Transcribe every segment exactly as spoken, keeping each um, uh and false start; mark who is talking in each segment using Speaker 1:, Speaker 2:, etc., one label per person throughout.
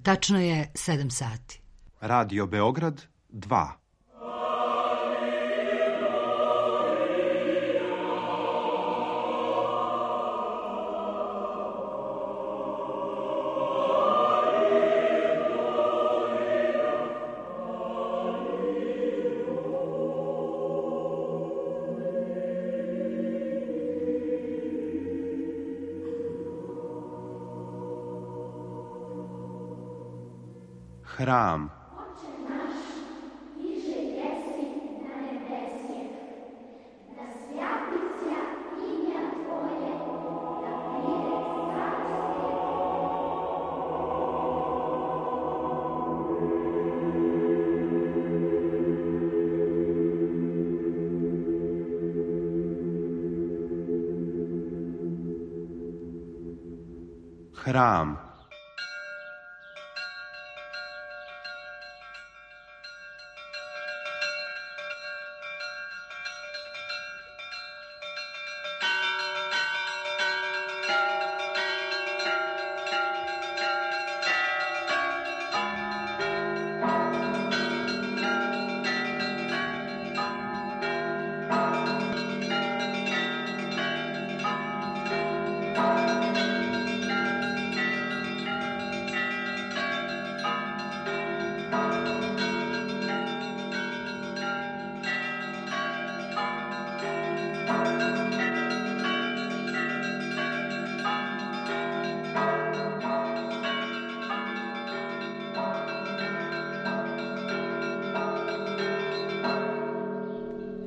Speaker 1: Tačno je sedam sati.
Speaker 2: Radio Beograd dva. Hram. Hram.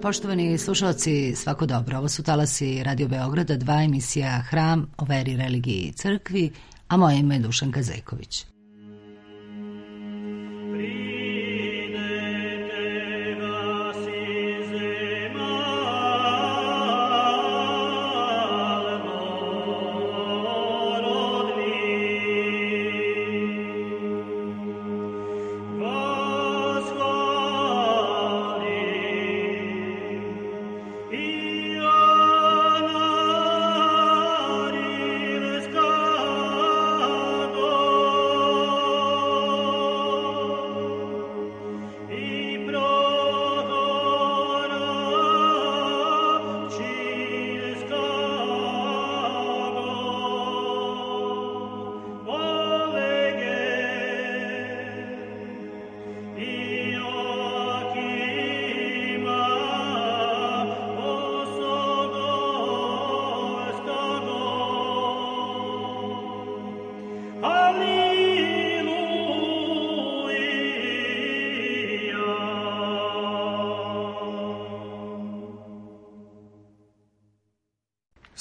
Speaker 1: Poštovani slušalci, svako dobro. Ovo su talasi Radio Beograda, dva, emisija Hram o veri, religiji i crkvi, a moje ime je Dušanka Zeković.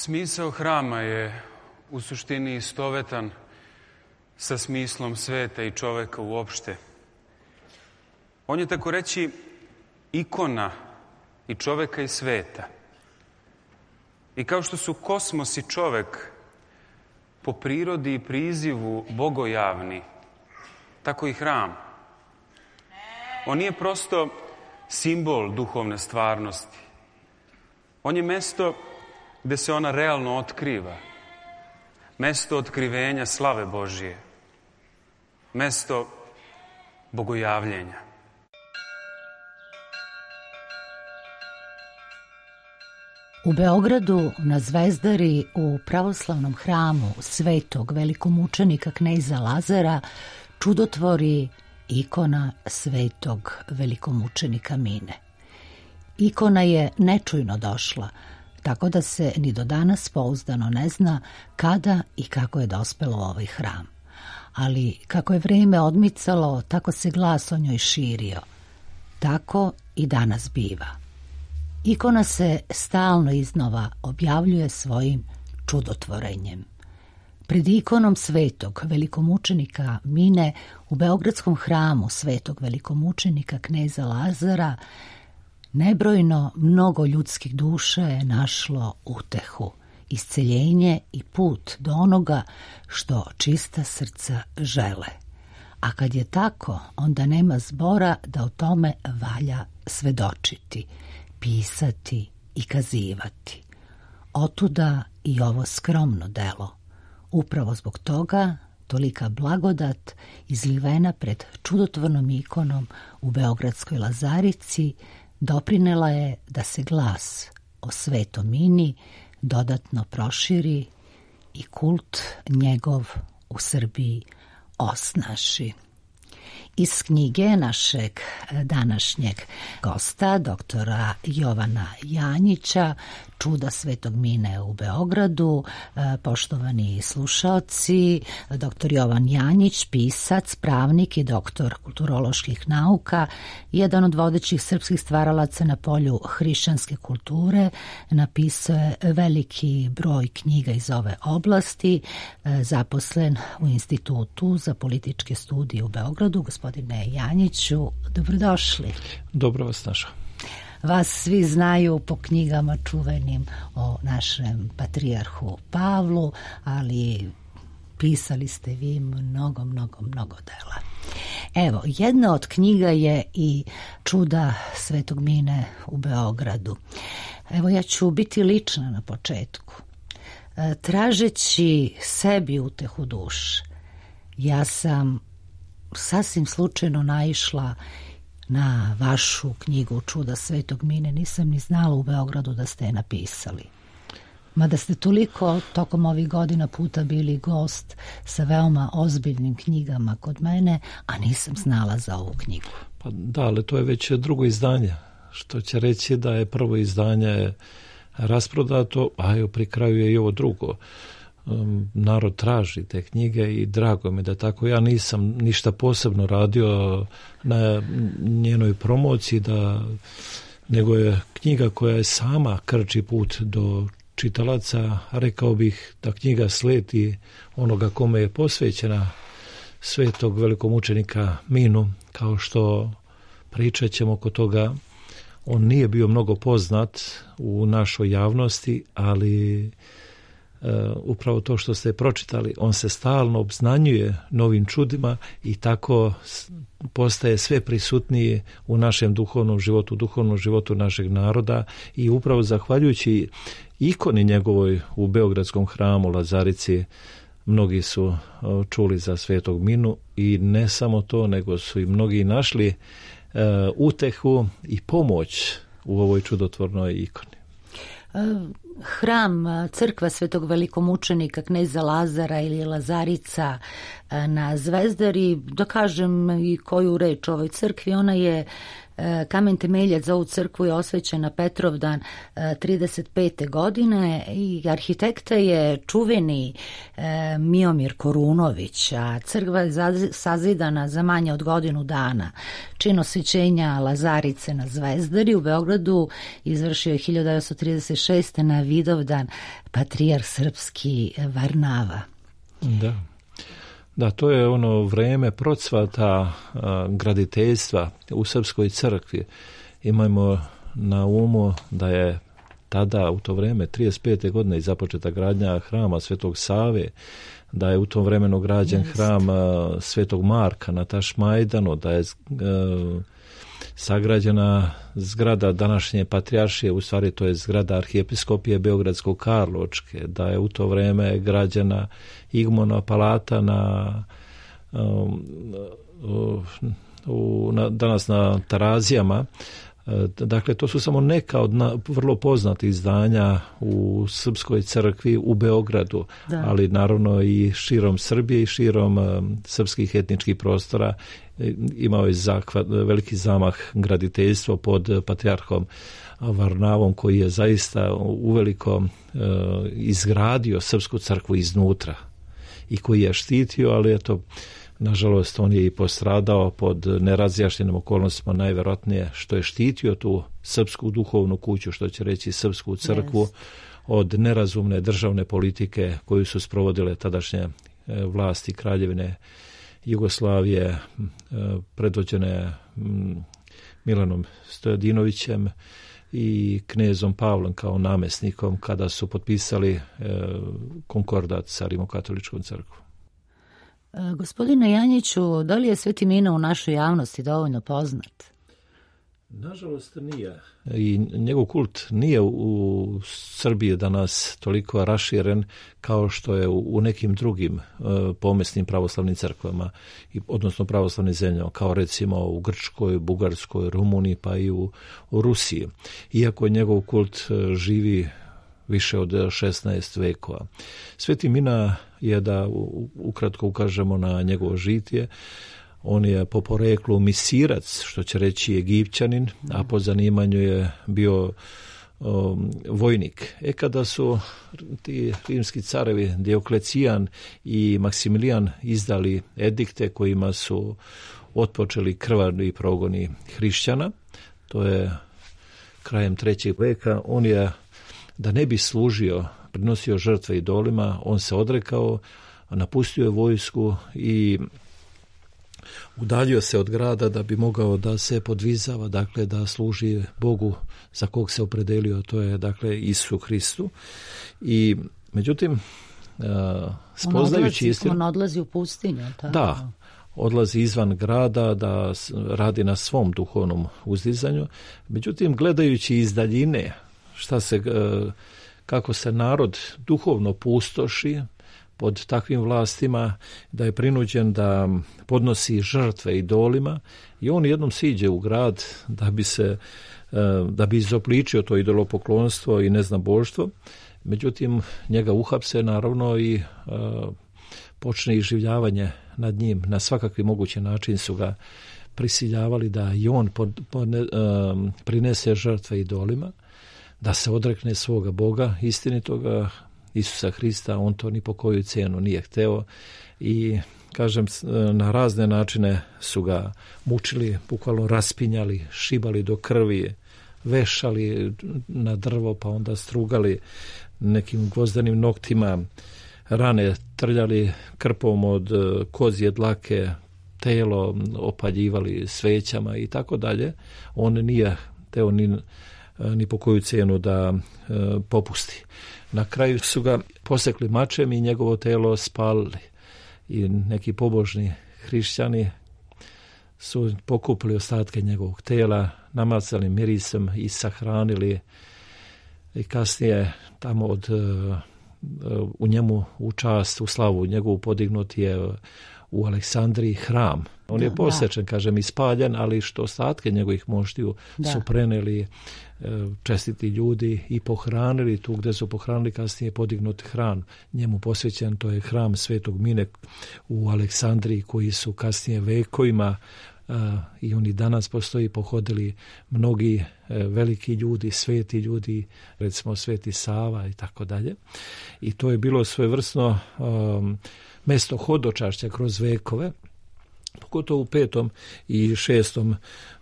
Speaker 3: Smisao hrama je u suštini istovetan sa smislom sveta i čoveka uopšte. On je, tako reći, ikona i čoveka i sveta. I kao što su kosmos i čovek po prirodi i prizivu bogojavni, tako i hram. On nije prosto simbol duhovne stvarnosti. On je mesto gde se ona realno otkriva. Mesto otkrivenja slave Božije. Mesto bogojavljenja.
Speaker 1: U Beogradu na Zvezdari u pravoslavnom hramu svetog velikomučenika kneza Lazara čudotvori ikona svetog velikomučenika Mine. Ikona je nečujno došla, tako da se ni do danas pouzdano ne zna kada i kako je dospelo u ovaj hram. Ali kako je vrijeme odmicalo, tako se glas o njoj širio. Tako i danas biva. Ikona se stalno iznova objavljuje svojim čudotvorenjem. Pred ikonom svetog velikomučenika Mine u Beogradskom hramu svetog velikomučenika kneza Lazara nebrojno mnogo ljudskih duša je našlo utehu, isceljenje i put do onoga što čista srca žele. A kad je tako, onda nema zbora da o tome valja svedočiti, pisati i kazivati. Otuda i ovo skromno delo. Upravo zbog toga tolika blagodat izlivena pred čudotvornom ikonom u Beogradskoj Lazarici doprinela je da se glas o Svetom Mini dodatno proširi i kult njegov u Srbiji osnaži. Iz knjige našeg današnjeg gosta, doktora Jovana Janjića, Čuda Svetog Mine u Beogradu, poštovani slušaoci, doktor Jovan Janjić, pisac, pravnik i doktor kulturoloških nauka, jedan od vodećih srpskih stvaralaca na polju hrišćanske kulture, napisao je veliki broj knjiga iz ove oblasti, zaposlen u Institutu za političke studije u Beogradu. Gospodine Janjiću, dobrodošli.
Speaker 4: Dobro vas našao.
Speaker 1: Vas svi znaju po knjigama čuvenim o našem patrijarhu Pavlu, ali pisali ste vi mnogo, mnogo, mnogo dela. Evo, jedna od knjiga je i Čuda Svetog Mine u Beogradu. Evo, ja ću biti lična na početku. Tražeći sebi utehu duše, ja sam sasvim slučajno naišla na vašu knjigu Čuda Svetog Mine. Nisam ni znala u Beogradu da ste je napisali. Mada ste toliko tokom ovih godina puta bili gost sa veoma ozbiljnim knjigama kod mene, a nisam znala za ovu knjigu.
Speaker 4: Pa da, ali to je već drugo izdanje, što će reći da je prvo izdanje rasprodato, a evo pri kraju je i ovo drugo. Um, narod traži te knjige i drago mi da tako. Ja nisam ništa posebno radio na njenoj promociji, da, nego je knjiga koja je sama krči put do čitalaca. Rekao bih da knjiga sledi onoga kome je posvećena, svetog velikomučenika Minu. Kao što pričat ćemo oko toga, on nije bio mnogo poznat u našoj javnosti, ali Uh, upravo to što ste pročitali, on se stalno obznanjuje novim čudima i tako postaje sve prisutniji u našem duhovnom životu, duhovnom životu našeg naroda, i upravo zahvaljujući ikoni njegovoj u Beogradskom hramu Lazarici mnogi su uh, čuli za Svetog Minu, i ne samo to, nego su i mnogi našli uh, utehu i pomoć u ovoj čudotvornoj ikoni.
Speaker 1: Hram, crkva Svetog velikomučenika kneza Lazara ili Lazarica na Zvezdari, da kažem i koju reč o ovoj crkvi, ona je kamen temeljac za ovu crkvu je osvećen na Petrovdan trideset pete godine i arhitekta je čuveni Miomir Korunović, a crkva je sazidana za manje od godinu dana. Čin osvećenja Lazarice na Zvezdari u Beogradu izvršio je hiljadu devetsto trideset šeste. na Vidovdan patrijarh srpski Varnava.
Speaker 4: Da. Da, to je ono vreme procvata a, graditeljstva u srpskoj crkvi. Imajmo na umu da je tada u to vreme trideset pete godine i započeta gradnja hrama Svetog Save, da je u tom vremenu građen Just. hram a, Svetog Marka na Tašmajdanu, da je a, sagrađena zgrada današnje patrijaršije, u stvari to je zgrada arhijepiskopije Beogradsko-Karlovačke, da je u to vreme građena Igmona palata na, um, u, na danas na Tarazijama. Dakle, to su samo neka od na, vrlo poznatih izdanja u srpskoj crkvi u Beogradu, da. ali naravno i širom Srbije i širom um, srpskih etničkih prostora. Imao je zakvat, veliki zamah graditeljstvo pod patrijarhom Varnavom, koji je zaista uveliko uh, izgradio srpsku crkvu iznutra i koji je štitio, ali eto, nažalost, on je i postradao pod nerazjašnjenim okolnostima, najvjerojatnije što je štitio tu srpsku duhovnu kuću, što će reći srpsku crkvu, yes. od nerazumne državne politike koju su sprovodile tadašnje vlasti Kraljevine Jugoslavije, predvođene Milanom Stojadinovićem i knezom Pavlom kao namjesnikom, kada su potpisali konkordat sa Rimokatoličkom crkvom.
Speaker 1: Gospodine Janjiću, da li je Sveti Mina u našoj javnosti dovoljno poznat?
Speaker 4: Nažalost nije. I njegov kult nije u Srbiji danas toliko raširen kao što je u nekim drugim uh, pomesnim pravoslavnim crkvama, odnosno pravoslavnim zemljama, kao recimo u Grčkoj, Bugarskoj, Rumuniji pa i u, u Rusiji. Iako njegov kult uh, živi više od šesnaest vekova. Sveti Mina je, da ukratko ukažemo na njegovo žitije, on je po poreklu misirac, što će reći Egipćanin, a po zanimanju je bio um, vojnik. E kada su ti rimski carevi Dioklecijan i Maksimilijan izdali edikte kojima su otpočeli krvavi progoni hrišćana, to je krajem trećeg veka, on je, da ne bi služio, prinosio žrtve idolima, on se odrekao, napustio je vojsku i udaljio se od grada da bi mogao da se podvizava, dakle da služi Bogu za kog se opredelio, to je dakle Isusu Hristu. I međutim, uh, spoznajući istinu...
Speaker 1: On odlazi u pustinju. Ta.
Speaker 4: Da, odlazi izvan grada da radi na svom duhovnom uzdizanju. Međutim, gledajući iz daljine šta se, uh, kako se narod duhovno pustoši pod takvim vlastima, da je prinuđen da podnosi žrtve idolima, i on jednom siđe u grad da bi se da bi izopličio to idolopoklonstvo i neznaboštvo. Međutim, njega uhapse naravno i počne iživljavanje nad njim. Na svakakvi mogući način su ga prisiljavali da i on pod, pod, prinese žrtve idolima, da se odrekne svoga Boga istinitoga, Isusa Hrista. On to ni po koju cijenu nije hteo i, kažem, na razne načine su ga mučili, bukvalno raspinjali, šibali do krvi, vešali na drvo, pa onda strugali nekim gvozdanim noktima, rane trljali krpom od kozje dlake, telo opaljivali svećama i tako dalje. On nije teo ni, ni po koju cijenu da e, popusti. Na kraju su ga posekli mačem i njegovo telo spalili. I neki pobožni hrišćani su pokupili ostatke njegovog tela, namacali mirisom i sahranili, i kasnije tamo od, u njemu u čast, u slavu njegovu podignut je u Aleksandriji hram. On da, je posečen, da. kažem, ispaljen, ali što ostatke njegovih moštiju da. su preneli čestiti ljudi i pohranili tu gdje su pohranili, kasnije podignut hram njemu posvećen, to je hram Svetog Mine u Aleksandriji, koji su kasnije vekovima uh, i oni danas postoji, pohodili mnogi uh, veliki ljudi, sveti ljudi, recimo Sveti Sava i tako dalje. I to je bilo svojevrsno um, mesto hodočašća kroz vekove. Pogotovo u petom i šestom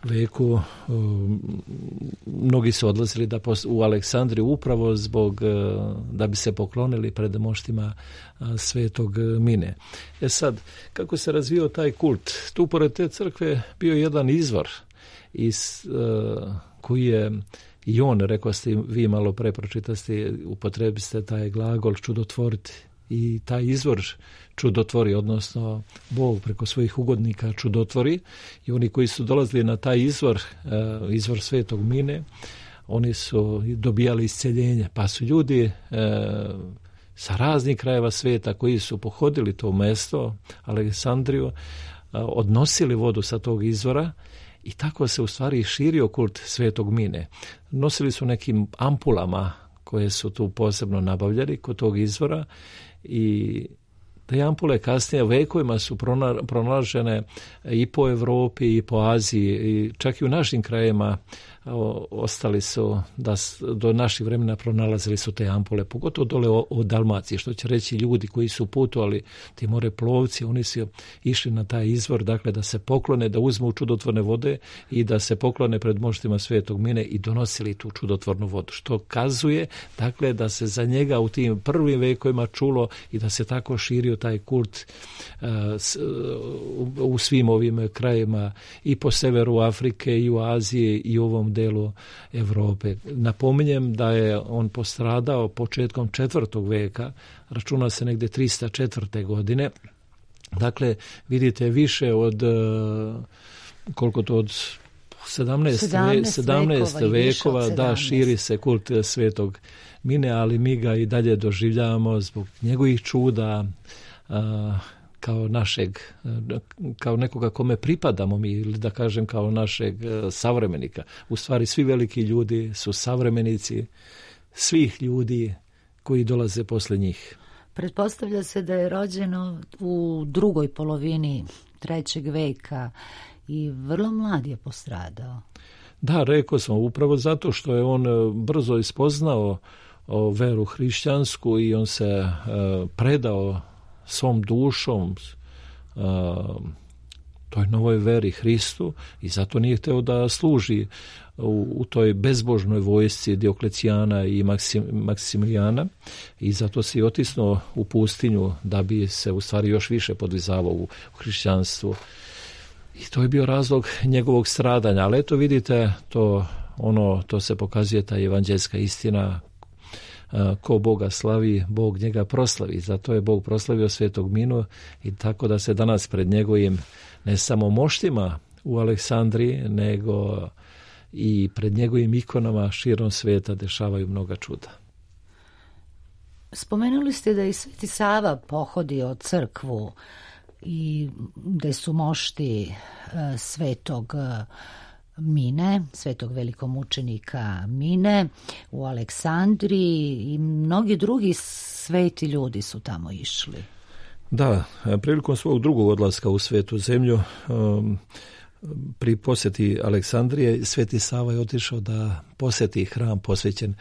Speaker 4: veku um, mnogi su odlazili da pos- u Aleksandriju upravo zbog uh, da bi se poklonili pred moštima uh, Svetog Mine. E sad, kako se razvio taj kult? Tu pored te crkve bio jedan izvor iz, uh, koji je i on, rekao ste vi malo pre, pročitaste, upotrebiste taj glagol čudotvoriti. I taj izvor čudotvori, odnosno Bog preko svojih ugodnika čudotvori, i oni koji su dolazili na taj izvor, izvor Svetog Mine, oni su dobijali isceljenje, pa su ljudi sa raznih krajeva sveta koji su pohodili to mesto, Aleksandriju, odnosili vodu sa tog izvora, i tako se u stvari širio kult Svetog Mine. Nosili su nekim ampulama koje su tu posebno nabavljali kod tog izvora, i te ampule kasnije vekovima su pronalažene i po Evropi i po Aziji, i čak i u našim krajevima o, ostali su, da do naših vremena pronalazili su te ampule, pogotovo dole o, o Dalmaciji, što će reći ljudi koji su putovali, ti moreplovci, oni su išli na taj izvor, dakle da se poklone, da uzmu čudotvorne vode i da se poklone pred moštima Svetog Mine i donosili tu čudotvornu vodu, što kazuje, dakle, da se za njega u tim prvim vekovima čulo i da se tako širio taj kult uh, s, uh, u svim ovim krajevima, i po severu Afrike, i u Aziji, i u ovom delu Evrope. Napominjem da je on postradao početkom četvrtog veka, računa se negde trista četvrte godine. Dakle, vidite, više od koliko to od sedamnaest vekova, da, širi se kult svetog Mine, ali mi ga i dalje doživljavamo zbog njegovih čuda, a, kao našeg, kao nekoga kome pripadamo mi, ili da kažem kao našeg savremenika. U stvari svi veliki ljudi su savremenici svih ljudi koji dolaze posle njih.
Speaker 1: Pretpostavlja se da je rođeno u drugoj polovini trećeg veka i vrlo mlad je postradao.
Speaker 4: Da, rekao sam, upravo zato što je on brzo ispoznao o veru hrišćansku i on se uh, predao svom dušom uh, toj novoj veri Hristu i zato nije hteo da služi u, u toj bezbožnoj vojsci Dioklecijana i Maksim, Maksimilijana i zato se i otisnuo u pustinju da bi se u stvari još više podvizavao u, u hrišćanstvu. I to je bio razlog njegovog stradanja, ali eto vidite, to, ono, to se pokazuje ta evanđeljska istina, ko Boga slavi, Bog njega proslavi. Zato je Bog proslavio svetog Minu i tako da se danas pred njegovim ne samo moštima u Aleksandriji, nego i pred njegovim ikonama širom sveta dešavaju mnoga čuda.
Speaker 1: Spomenuli ste da je Sveti Sava pohodio crkvu i da su mošti svetog Mine, svetog velikomučenika Mine u Aleksandriji i mnogi drugi sveti ljudi su tamo išli.
Speaker 4: Da, prilikom svog drugog odlaska u svetu zemlju, um, pri posjeti Aleksandrije, Sveti Sava je otišao da posjeti hram posvećen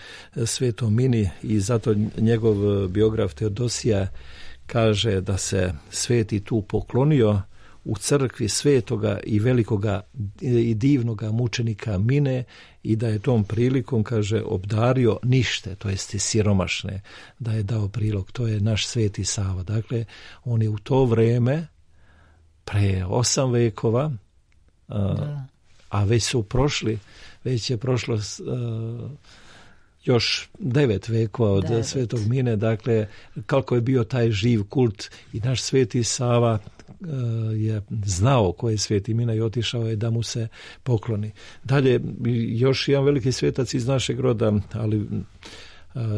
Speaker 4: svetom Mini i zato njegov biograf Teodosija kaže da se sveti tu poklonio u crkvi svetoga i velikoga i divnoga mučenika Mine i da je tom prilikom, kaže, obdario nište, to jest siromašne, da je dao prilog. To je naš Sveti Sava. Dakle, on je u to vreme, pre osam vekova, a, a već su prošli, već je prošlo a, još devet vekova od devet. Svetog Mine, dakle, kako je bio taj živ kult i naš Sveti Sava je znao ko je Sveti Mina i otišao je da mu se pokloni. Dalje, još jedan veliki svetac iz našeg roda, ali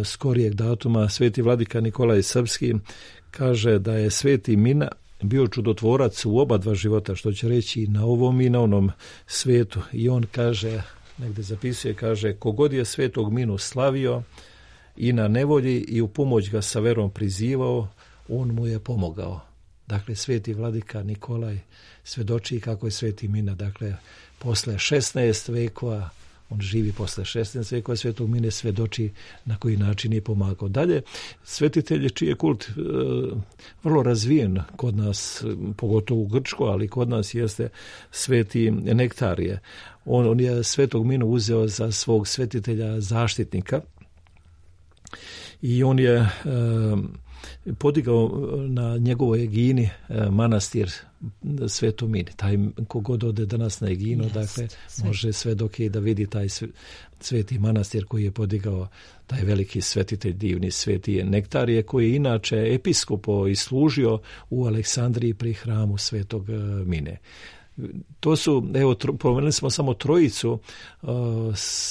Speaker 4: skorijeg datuma, Sveti vladika Nikolaj Srpski, kaže da je Sveti Mina bio čudotvorac u oba dva života, što će reći na ovom i na onom svetu. I on kaže, negde zapisuje, kaže, kogod je Svetog Minu slavio i na nevolji i u pomoć ga sa verom prizivao, on mu je pomogao. Dakle, Sveti vladika Nikolaj svedoči kako je Sveti Mina, dakle, posle šesnaest vekova, on živi posle šesnaest vekova, Svetog Mine svedoči na koji način je pomagao. Dalje, svetitelj čiji je kult e, vrlo razvijen kod nas, pogotovo u Grčkoj, ali kod nas jeste Sveti Nektarije. On, on je Svetog Minu uzeo za svog svetitelja zaštitnika i on je e, podigao na njegovoj Egini manastir Sveto Mini. Taj kogod ode danas na Eginu, yes, dakle, sve. Može sve dok je da vidi taj sveti manastir koji je podigao taj veliki svetitelj, divni Sveti Nektarije, koji je inače episkopo i služio u Aleksandriji pri hramu Svetog Mine. To su, evo, pomenuli smo samo trojicu uh,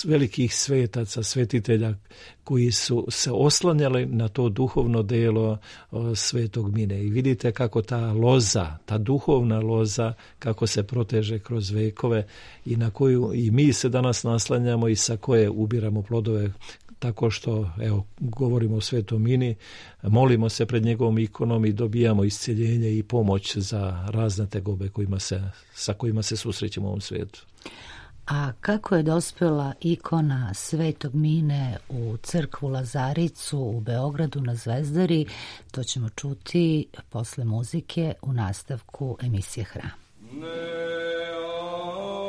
Speaker 4: velikih svetaca, svetitelja koji su se oslanjali na to duhovno delo uh, Svetog Mine. I vidite kako ta loza, ta duhovna loza, kako se proteže kroz vekove i na koju i mi se danas naslanjamo i sa koje ubiramo plodove, tako što, evo, govorimo o Svetom Mini, molimo se pred njegovom ikonom i dobijamo isceljenje i pomoć za razne tegobe kojima se, sa kojima se susrećemo u ovom svijetu.
Speaker 1: A kako je dospela ikona Svetog Mine u crkvu Lazaricu u Beogradu na Zvezdari, to ćemo čuti posle muzike u nastavku emisije Hram. Ne.
Speaker 5: Oh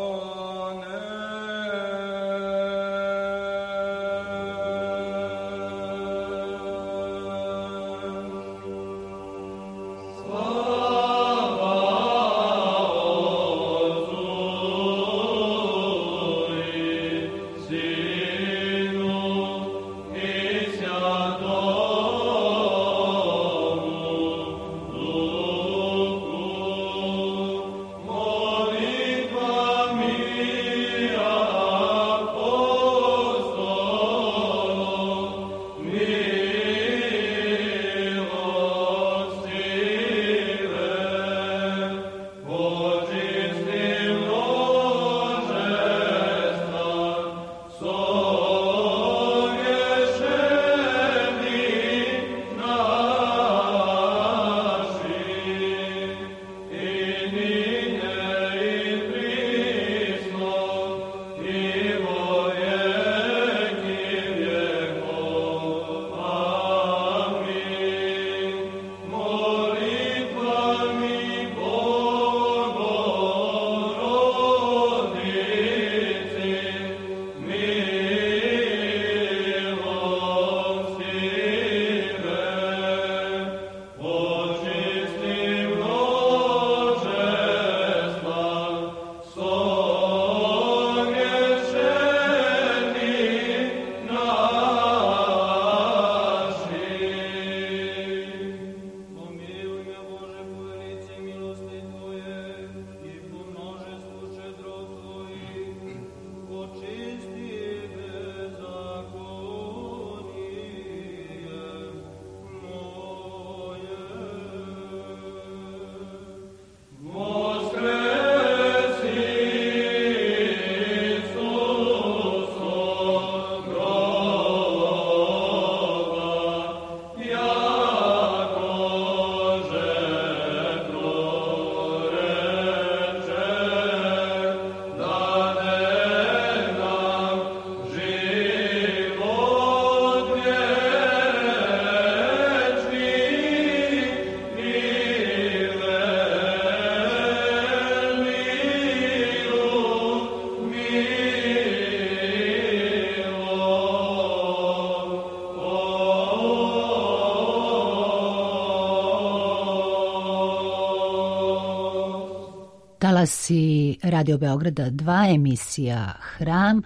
Speaker 1: Talasi Radio Beograda dva, emisija Hram,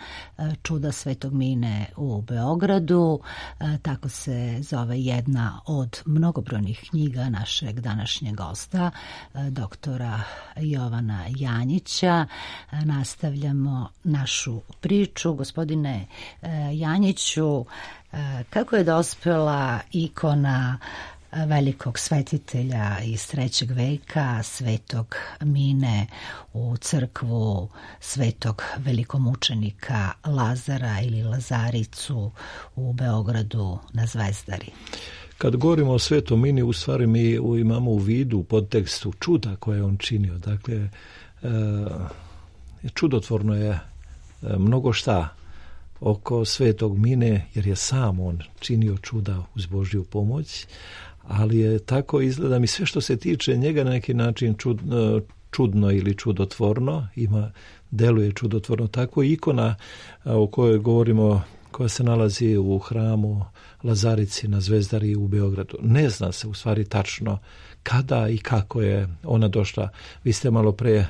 Speaker 1: čuda Svetog Mine u Beogradu. Tako se zove jedna od mnogobrojnih knjiga našeg današnjeg gosta, doktora Jovana Janjića. Nastavljamo našu priču. Gospodine Janjiću, kako je dospela ikona velikog svetitelja iz trećeg veka, Svetog Mine, u crkvu Svetog velikomučenika Lazara ili Lazaricu u Beogradu na Zvezdari?
Speaker 4: Kad govorimo o Svetom Mini, u stvari mi imamo u vidu u podtekstu čuda koje je on činio. Dakle, čudotvorno je mnogo šta oko Svetog Mine, jer je sam on činio čuda uz Božju pomoć, ali je tako izgleda mi sve što se tiče njega na neki način čudno, čudno ili čudotvorno, ima, deluje čudotvorno. Tako ikona o kojoj govorimo, koja se nalazi u hramu Lazarici na Zvezdari u Beogradu, ne zna se u stvari tačno kada i kako je ona došla. Vi ste malo pre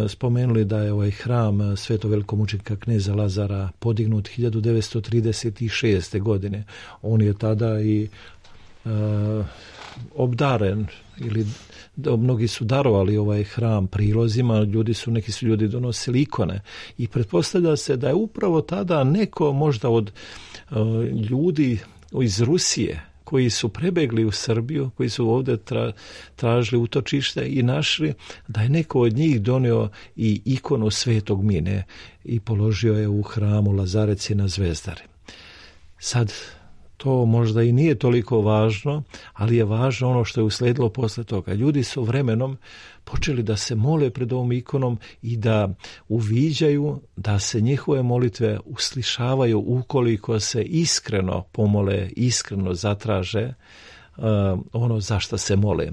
Speaker 4: spomenuli da je ovaj hram Svetog velikomučenika kneza Lazara podignut hiljadu devetsto trideset šeste. godine. On je tada i uh, obdaren, ili mnogi su darovali ovaj hram prilozima, ljudi su, neki su ljudi donosili ikone i pretpostavlja se da je upravo tada neko možda od uh, ljudi iz Rusije koji su prebegli u Srbiju, koji su ovdje tra, tražili utočište i našli, da je neko od njih donio i ikonu Svetog Mine i položio je u hramu Lazareci na Zvezdari. Sad, to možda i nije toliko važno, ali je važno ono što je usledilo posle toga. Ljudi su vremenom počeli da se mole pred ovom ikonom i da uviđaju da se njihove molitve uslišavaju ukoliko se iskreno pomole, iskreno zatraže uh, ono za šta se mole.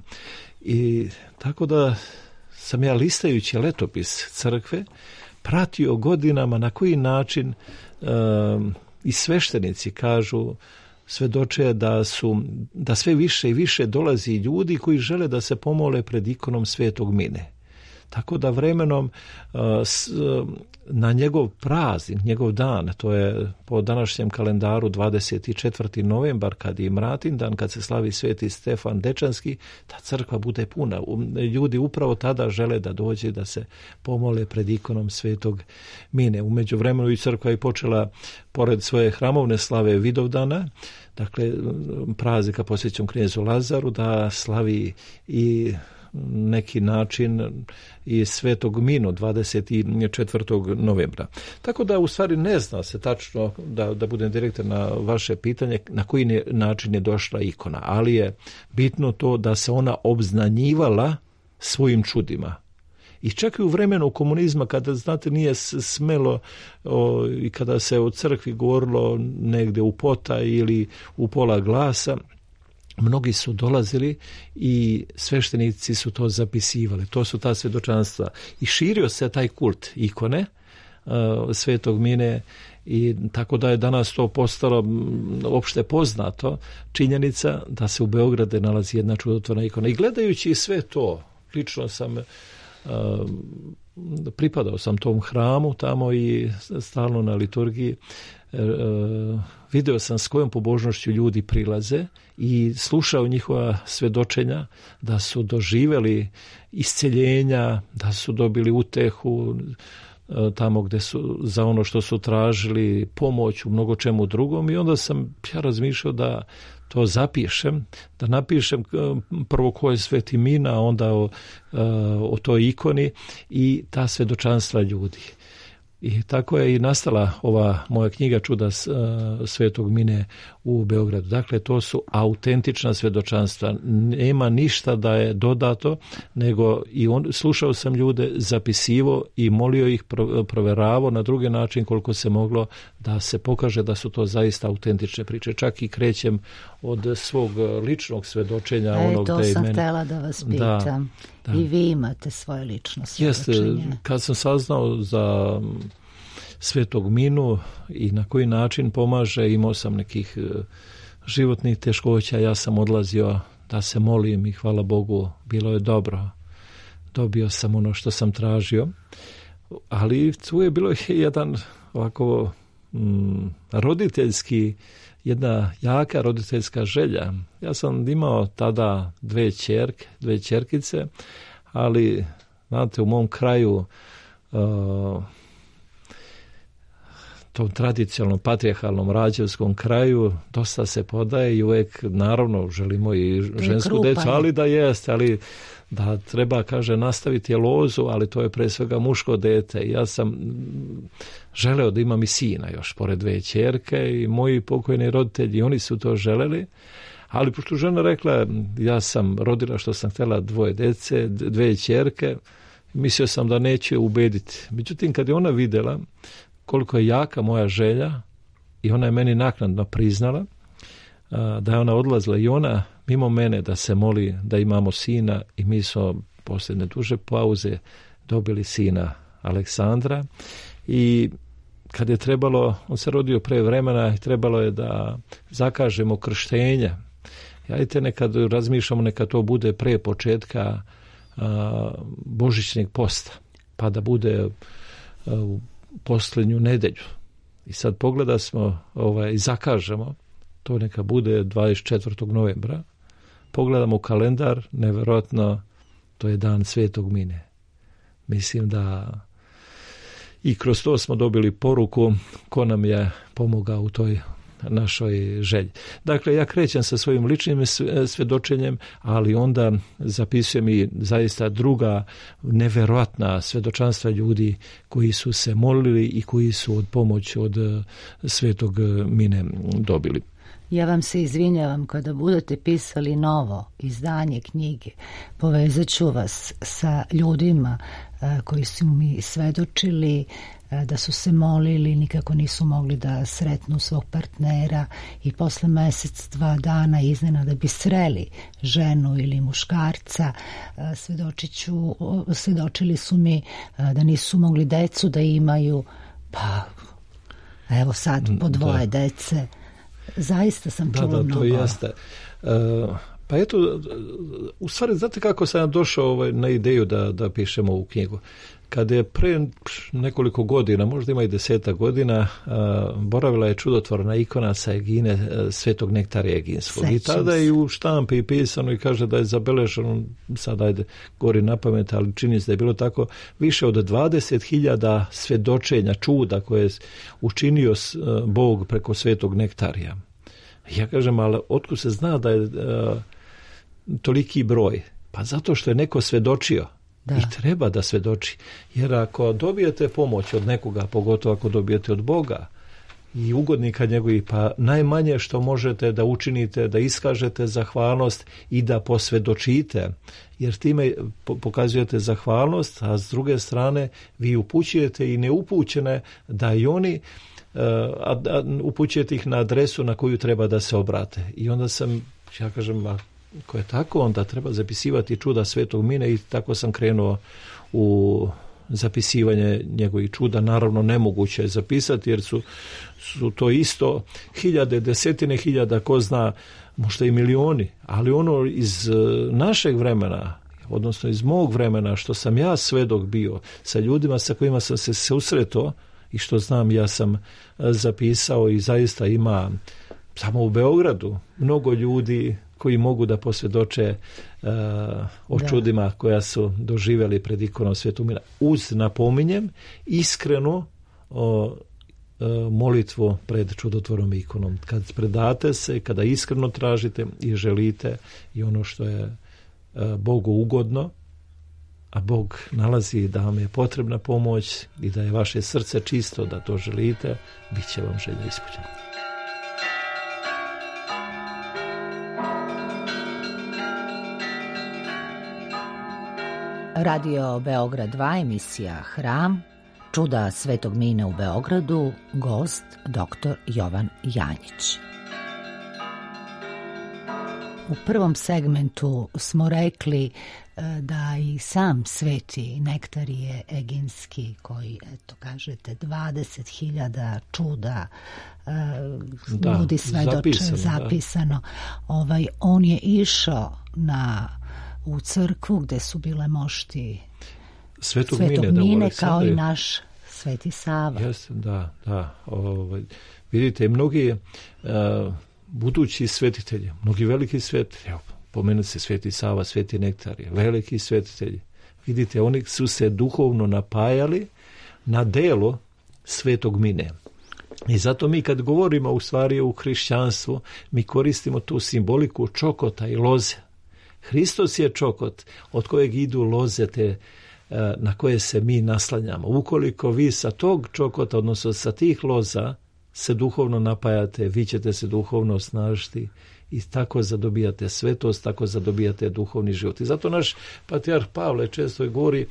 Speaker 4: I tako da sam ja, listajući letopis crkve, pratio godinama na koji način uh, i sveštenici kažu, svedoče da su, da sve više i više dolazi ljudi koji žele da se pomole pred ikonom Svetog Mine. Tako da vremenom na njegov praznik, njegov dan, to je po današnjem kalendaru dvadeset četvrti novembar, kad je Mratin dan, kad se slavi Sveti Stefan Dečanski, ta crkva bude puna. Ljudi upravo tada žele da dođe da se pomole pred ikonom Svetog Mine. U međuvremenu i crkva je počela, pored svoje hramovne slave Vidovdana, dakle praznika posvećenom knezu Lazaru, da slavi i neki način i Svetog Minu dvadeset četvrtog novembra. Tako da u stvari ne zna se tačno, da, da budem direktan na vaše pitanje, na koji način je došla ikona, ali je bitno to da se ona obznanjivala svojim čudima. I čak i u vremenu komunizma, kada, znate, nije smelo o, i kada se o crkvi govorilo negde u pota ili u pola glasa, mnogi su dolazili i sveštenici su to zapisivali. To su ta svjedočanstva. I širio se taj kult ikone uh, Svetog Mine, i tako da je danas to postalo opšte poznato, činjenica da se u Beogradu nalazi jedna čudotvorna ikona. I gledajući sve to, lično sam uh, pripadao sam tom hramu tamo i stalno na liturgiji, uh, video sam s kojom pobožnošću ljudi prilaze i slušao njihova svedočenja da su doživjeli isceljenja, da su dobili utehu tamo gde su za ono što su tražili, pomoć u mnogo čemu drugom, i onda sam ja razmišljao da to zapišem, da napišem prvo ko je Sveti Mina, a onda o, o toj ikoni i ta svedočanstva ljudi. I tako je i nastala ova moja knjiga Čuda Svetog Mine u Beogradu. Dakle, to su autentična svedočanstva. Nema ništa da je dodato, nego i on, slušao sam ljude, zapisivo i molio ih, proveravao na drugi način koliko se moglo da se pokaže da su to zaista autentične priče. Čak i krećem od svog ličnog svedočenja.
Speaker 1: E,
Speaker 4: onog
Speaker 1: to
Speaker 4: da
Speaker 1: sam
Speaker 4: meni...
Speaker 1: htjela da vas pitam. Da, da. I vi imate svoje lično svedočenje.
Speaker 4: Jeste, kad sam saznao za Svetog Minu i na koji način pomaže, imao sam nekih životnih teškoća, ja sam odlazio da se molim i hvala Bogu, bilo je dobro. dobio sam ono što sam tražio, ali tu je bilo jedan ovako mm, roditeljski, jedna jaka roditeljska želja. Ja sam imao tada dve ćerke, dve ćerkice, ali znate, u mom kraju uh, tom tradicionalnom patrijarhalnom rađevskom kraju dosta se podaje i uvijek naravno želimo i žensku decu, ali da jeste, ali da treba, kaže, nastaviti lozu, ali to je pre svega muško dete. Ja sam želeo da imam i sina još pored dve ćerke i moji pokojni roditelji, oni su to želeli, ali pošto žena rekla ja sam rodila što sam htjela dvoje dece, dve ćerke, mislio sam da neće ubediti. Međutim, kad je ona vidjela koliko je jaka moja želja i ona je meni naknadno priznala da je ona odlazila i ona mimo mene da se moli da imamo sina i mi smo poslije neduže pauze dobili sina Aleksandra i kad je trebalo, on se rodio pre vremena i trebalo je da zakažemo krštenje. Jajte nekad razmišljamo neka to bude pre početka a, božićnjeg posta, pa da bude a, u posljednju nedelju. I sad pogleda smo ovaj, i zakažemo, to neka bude dvadeset četvrtog novembra. Pogledamo kalendar, nevjerojatno, to je dan Svetog Mine. Mislim da i kroz to smo dobili poruku ko nam je pomogao u toj našoj želji. Dakle, ja krećem sa svojim ličnim svjedočenjem, ali onda zapisujem i zaista druga nevjerojatna svjedočanstva ljudi koji su se molili i koji su od pomoći od Svetog Mine dobili.
Speaker 1: Ja vam se izvinjavam kada budete pisali novo izdanje knjige. Povezat ću vas sa ljudima koji su mi svedočili da su se molili, nikako nisu mogli da sretnu svog partnera i posle mjesec, dva dana iznenada bi sreli ženu ili muškarca. Svedočiću, svedočili su mi da nisu mogli decu da imaju, pa evo sad po dvoje da. dece. Zaista sam čula mnogo.
Speaker 4: Da, da, to jeste. Uh, pa eto, u stvari, znate kako sam došao ovaj, na ideju da, da pišemo ovu knjigu? Kada je pre nekoliko godina, možda ima i deseta godina, uh, boravila je čudotvorna ikona sa Egine uh, Svetog Nektarija Eginskog. I tada je u štampi pisano i kaže da je zabeleženo, sad ajde gori na pamet, ali čini se da je bilo tako, više od dvadeset hiljada svjedočenja, čuda koje je učinio uh, Bog preko Svetog Nektarija. Ja kažem, ali otkud se zna da je uh, toliki broj? Pa zato što je neko svjedočio. Da. I treba da svjedoči. Jer ako dobijete pomoć od nekoga, pogotovo ako dobijete od Boga i ugodnika njegovih, pa najmanje što možete da učinite, da iskažete zahvalnost i da posvjedočite, jer time pokazujete zahvalnost, a s druge strane vi upućujete i neupućene da i oni a, a, upućujete ih na adresu na koju treba da se obrate. I onda sam, ja kažem, ako je tako, onda treba zapisivati čuda Svetog Mine i tako sam krenuo u zapisivanje njegovih čuda. Naravno, nemoguće je zapisati jer su, su to isto hiljade, desetine hiljada, ko zna, možda i milioni, ali ono iz našeg vremena, odnosno iz mog vremena, što sam ja svedok bio sa ljudima sa kojima sam se susretao i što znam, ja sam zapisao i zaista ima samo u Beogradu mnogo ljudi koji mogu da posvjedoče uh, o da. čudima koja su doživjeli pred ikonom Svetog Mina. Uz, napominjem, iskreno uh, molitvu pred čudotvornom ikonom. Kad predate se, kada iskreno tražite i želite i ono što je uh, Bogu ugodno, a Bog nalazi da vam je potrebna pomoć i da je vaše srce čisto, da to želite, bit će vam želja ispunjena.
Speaker 1: Radio Beograd dva, emisija Hram, čuda Svetog Mine u Beogradu, gost doktor Jovan Janjić. U prvom segmentu smo rekli da i sam Sveti Nektarije Eginski, koji, eto, kažete, dvadeset hiljada čuda da, ljudi svedoče, zapisano, zapisano. Ovaj, on je išao na u crkvu gde su bile mošti
Speaker 4: Svetog,
Speaker 1: Svetog
Speaker 4: Mine,
Speaker 1: Mine,
Speaker 4: da,
Speaker 1: kao i naš Sveti Sava.
Speaker 4: Jeste, da, da. Ovaj, vidite, mnogi uh, budući svetitelji, mnogi veliki svetitelji, evo, pomenuti se Sveti Sava, Sveti Nektarije, veliki svetitelji. Vidite, oni su se duhovno napajali na delo Svetog Mine. I zato mi kad govorimo u stvari u hrišćanstvu, mi koristimo tu simboliku čokota i loze. Hristos je čokot od kojeg idu loze te na koje se mi naslanjamo. Ukoliko vi sa tog čokota, odnosno sa tih loza, se duhovno napajate, vi ćete se duhovno osnažiti i tako zadobijate svetost, tako zadobijate duhovni život. I zato naš patrijarh Pavle često govori,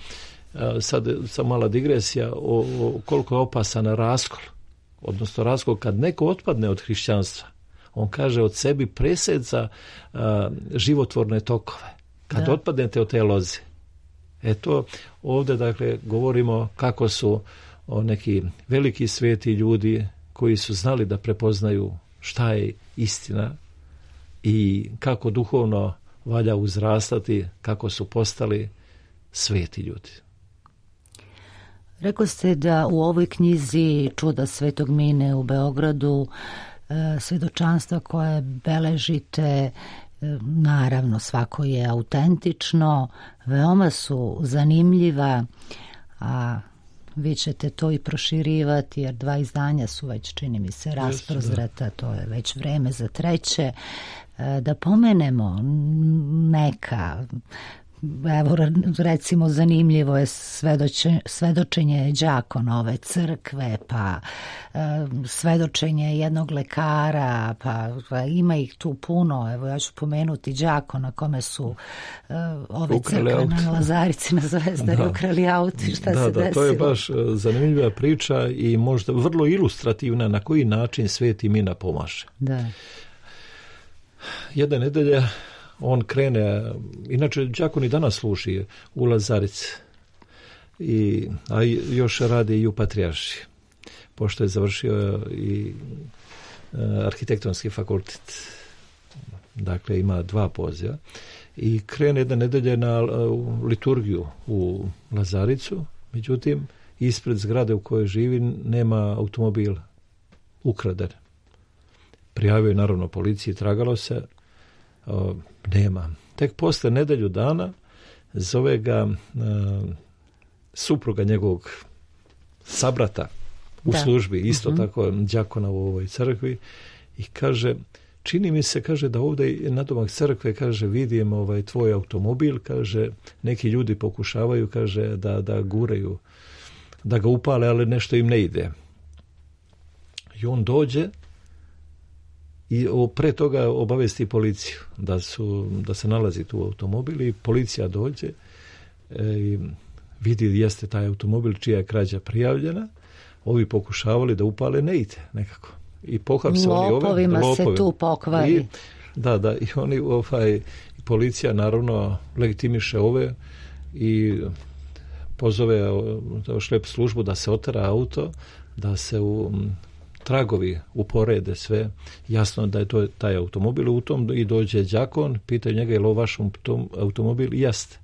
Speaker 4: sad sam mala digresija, o, o koliko je opasan raskol. Odnosno raskol kad neko otpadne od hrišćanstva. On kaže od sebi presedza a, životvorne tokove. Kad da. otpadnete od te loze. Eto, ovdje dakle govorimo kako su o neki veliki sveti ljudi koji su znali da prepoznaju šta je istina i kako duhovno valja uzrastati, kako su postali sveti ljudi.
Speaker 1: Rekli ste da u ovoj knjizi Čuda Svetog Mine u Beogradu svedočanstva koje beležite, naravno svako je autentično, veoma su zanimljiva, a vi ćete to i proširivati jer dva izdanja su već, čini mi se, rasprozreta, to je već vreme za treće. Da pomenemo neka, evo recimo zanimljivo je svedoče, svedočenje đakona ove crkve, pa e, svedočenje jednog lekara, pa, pa ima ih tu puno, evo ja ću pomenuti đakona kome su e, ove
Speaker 4: ukrali
Speaker 1: crkve
Speaker 4: auto.
Speaker 1: Na Lazarici, na Zvezdari
Speaker 4: da.
Speaker 1: ukrali auto, šta
Speaker 4: da,
Speaker 1: se
Speaker 4: da,
Speaker 1: desilo.
Speaker 4: To je baš zanimljiva priča i možda vrlo ilustrativna na koji način Sveti Mina pomaže.
Speaker 1: Da.
Speaker 4: Jedne nedelje on krene, inače đakon i danas služi u Lazarici, i, a još radi i u Patrijarši, pošto je završio i e, arhitektonski fakultet. Dakle, ima dva poziva. I krene jedne nedelje na u liturgiju u Lazaricu, međutim, ispred zgrade u kojoj živi nema automobil, ukraden. Prijavio je naravno policiji, tragalo se, o, nema. Tek posle nedelju dana zove ga a, supruga njegovog sabrata u da. službi, isto uh-huh. tako đakona u ovoj crkvi, i kaže, čini mi se, kaže, da ovdje na domak crkve, kaže, vidim ovaj tvoj automobil, kaže, neki ljudi pokušavaju, kaže, da, da guraju, da ga upale, ali nešto im ne ide. I on dođe i pre toga obavesti policiju da, su, da se nalazi tu automobil, i policija dođe e, i vidi jeste taj automobil čija je krađa prijavljena. Ovi pokušavali da upale, ne ide nekako. I pohapsali ove.
Speaker 1: Lopovima se tu pokvari.
Speaker 4: I, da, da, i oni, ovaj, policija naravno legitimiše ove i pozove šlep službu da se otara auto, da se u tragovi uporede sve, jasno da je to taj automobil u tom, i dođe đakon, pitaju njega je li ovo vaš automobil, i jeste.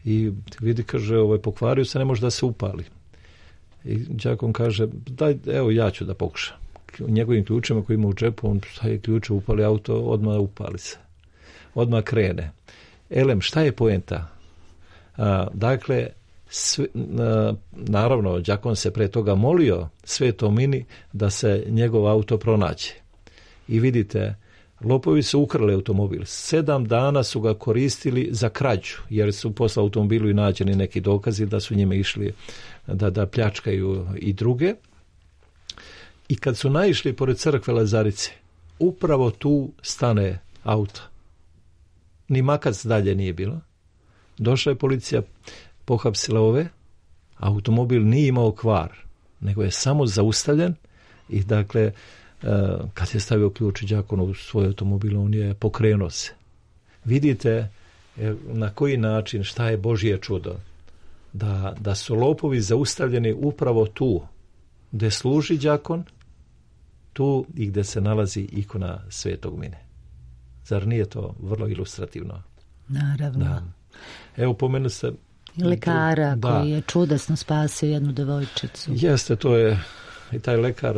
Speaker 4: I vidi, kaže, ovaj, pokvario se, ne može da se upali. I đakon kaže, daj, evo ja ću da pokušam. Njegovim ključima koji ima u džepu, on staje ključe, upali auto, odmah upali se. Odmah krene. Elem, šta je poenta? A, dakle, Sve, naravno, đakon se pre toga molio Svetom Mini da se njegov auto pronađe. I vidite, lopovi su ukrali automobil. Sedam dana su ga koristili za krađu, jer su posle automobilu i nađeni neki dokazi da su njime išli da, da pljačkaju i druge. I kad su naišli pored crkve Lazarice, upravo tu stane auto. Ni makac dalje nije bilo. Došla je policija, pohapsila ove, automobil nije imao kvar, nego je samo zaustavljen, i dakle, kad je stavio ključ đakon u svoj automobil, on je pokrenuo se. Vidite na koji način, šta je Božje čudo, da, da su lopovi zaustavljeni upravo tu gde služi đakon, tu i gde se nalazi ikona Svetog Mine. Zar nije to vrlo ilustrativno?
Speaker 1: Naravno.
Speaker 4: Da. Evo, pomenu se...
Speaker 1: I lekara
Speaker 4: da.
Speaker 1: koji je čudesno spasio jednu devojčicu.
Speaker 4: Jeste, to je i taj lekar,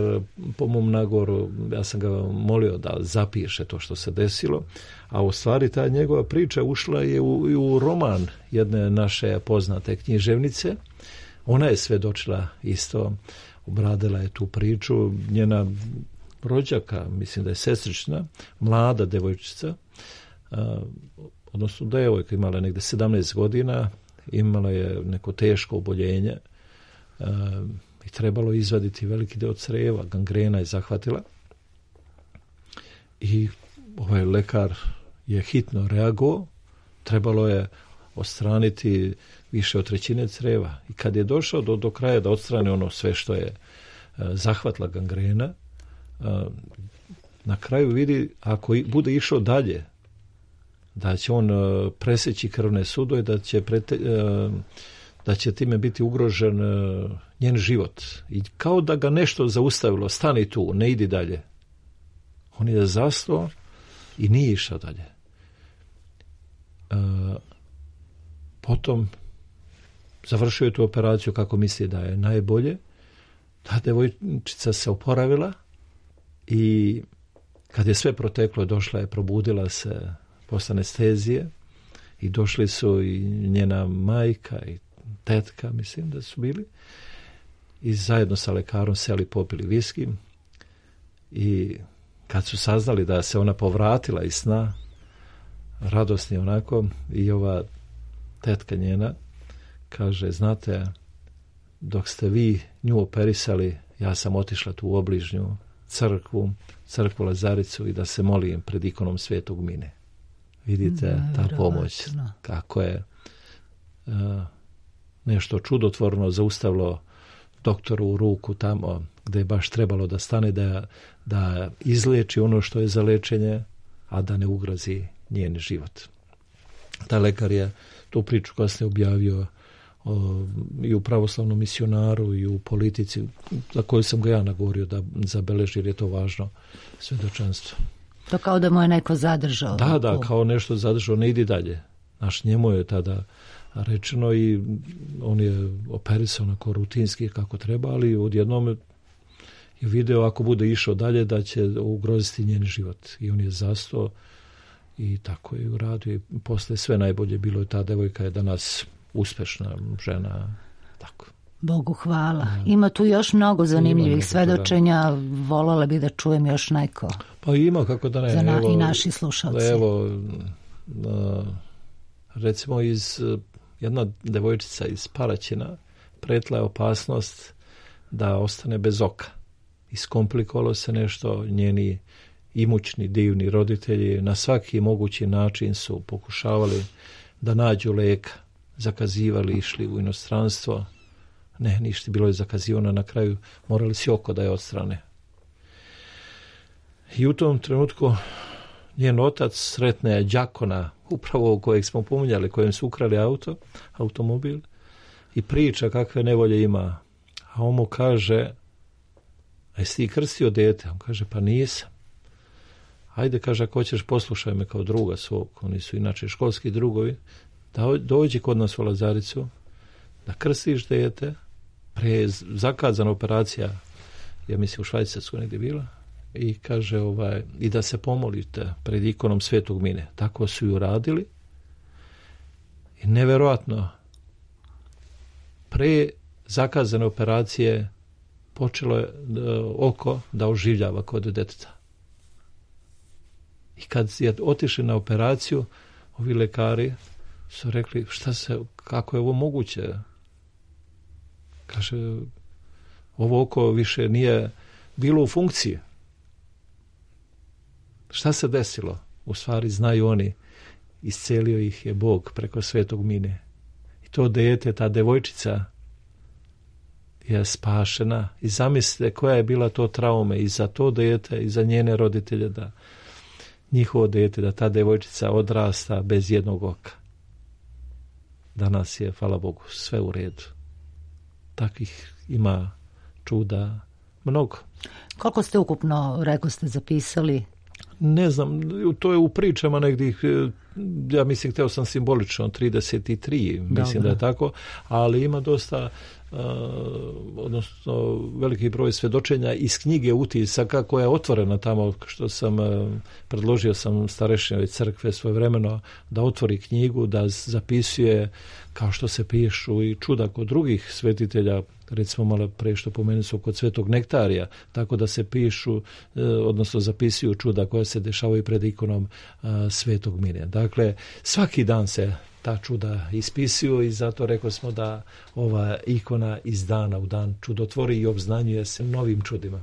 Speaker 4: po mom nagovoru, ja sam ga molio da zapiše to što se desilo, a u stvari ta njegova priča ušla je u, i u roman jedne naše poznate književnice. Ona je svedočila isto, obradila je tu priču, njena rođaka, mislim da je sestrična, mlada devojčica, a, odnosno devojka, imala negde sedamnaest godina, imala je neko teško oboljenje a, i trebalo izvaditi veliki deo creva, gangrena je zahvatila i ovaj lekar je hitno reagovao, trebalo je odstraniti više od trećine creva i kad je došao do, do kraja da odstrane ono sve što je a, zahvatila gangrena, a, na kraju vidi ako i, bude išao dalje da će on a, preseći krvne sudove, da će prete, a, da će time biti ugrožen a, njen život. I kao da ga nešto zaustavilo, stani tu, ne idi dalje. On je zastao i nije išao dalje. A, potom završio je tu operaciju kako misli da je najbolje. Ta devojčica se oporavila i kad je sve proteklo, došla je, probudila se posle anestezije i došli su i njena majka i tetka, mislim da su bili, i zajedno sa lekarom seli, popili viski i kad su saznali da se ona povratila iz sna, radosni onako, i ova tetka njena kaže, znate, dok ste vi nju operisali, ja sam otišla tu u obližnju crkvu, crkvu Lazaricu i da se molim pred ikonom Svetog Mine. Vidite, mm, ta pomoć, kako je uh, nešto čudotvorno zaustavilo doktoru u ruku tamo gde je baš trebalo da stane, da, da izleči ono što je za lečenje, a da ne ugrozi njen život. Ta lekar je tu priču kasnije objavio o, i u pravoslavnom misionaru i u Politici, za koju sam ga ja nagovorio da zabeleži, jer je to važno svedočanstvo.
Speaker 1: To kao da mu je neko zadržao.
Speaker 4: Da, da, kao nešto zadržao, ne idi dalje. Naš njemu je tada rečeno i on je operisao onako rutinski kako treba, ali odjednom je video ako bude išao dalje da će ugroziti njen život. I on je zastao i tako je uradio i posle sve najbolje bilo je, ta devojka je danas uspešna žena, tako.
Speaker 1: Bogu hvala. Da. Ima tu još mnogo zanimljivih
Speaker 4: mnogo,
Speaker 1: svedočenja, da. Voljela bi da čujem još neko.
Speaker 4: Pa ima, kako da ne.
Speaker 1: Za na,
Speaker 4: evo,
Speaker 1: i naši slušalci.
Speaker 4: Evo, recimo iz jedna devojčica iz Paraćina pretila je opasnost da ostane bez oka. Iskomplikovalo se nešto, njeni imućni, divni roditelji na svaki mogući način su pokušavali da nađu leka, zakazivali, išli u inostranstvo. Ne, ništa, bilo je zakazivano, na kraju morali si oko da je odstrane. I u tom trenutku njen otac sretne đakona, upravo kojeg smo pominjali, kojem su ukrali auto, automobil, i priča kakve nevolje ima. A on mu kaže, a jesi ti krstio dete? On kaže, pa nisam. Ajde, kaže, ako hoćeš, poslušaj me kao druga svog, oni su inače školski drugovi, da dođi kod nas u Lazaricu, da krstiš dete, pre je zakazana operacija, ja mislim u Švajcarskoj negdje bila, i kaže, ovaj, i da se pomolite pred ikonom Svetog Mine. Tako su ju radili. I neverovatno, pre zakazane operacije počelo je da, oko da oživljava kod deteta. I kad je otišli na operaciju, ovi lekari su rekli, šta se, kako je ovo moguće? Kaže, ovo oko više nije bilo u funkciji. Šta se desilo? U stvari znaju oni, iscelio ih je Bog preko Svetog Mine. I to dete, ta devojčica je spašena. I zamislite koja je bila to traume i za to dete i za njene roditelje, da njihovo dete, da ta devojčica odrasta bez jednog oka. Danas je, hvala Bogu, sve u redu. Takvih ima čuda mnogo.
Speaker 1: Koliko ste ukupno, rekao ste, zapisali?
Speaker 4: Ne znam, to je u pričama negdje ja mislim, hteo sam simbolično, trideset tri, mislim Dobre. Da je tako, ali ima dosta, uh, odnosno veliki broj svedočenja iz knjige utisaka koja je otvorena tamo, što sam uh, predložio sam starešinoj crkve svojevremeno da otvori knjigu, da zapisuje kao što se pišu i čuda kod drugih svetitelja, recimo malo pre što pomenu su kod Svetog Nektarija, tako da se pišu, odnosno zapisuju čuda koja se dešavaju pred ikonom Svetog Mine. Dakle, svaki dan se ta čuda ispisuju i zato rekao smo da ova ikona iz dana u dan čudotvori i obznanjuje se novim čudima.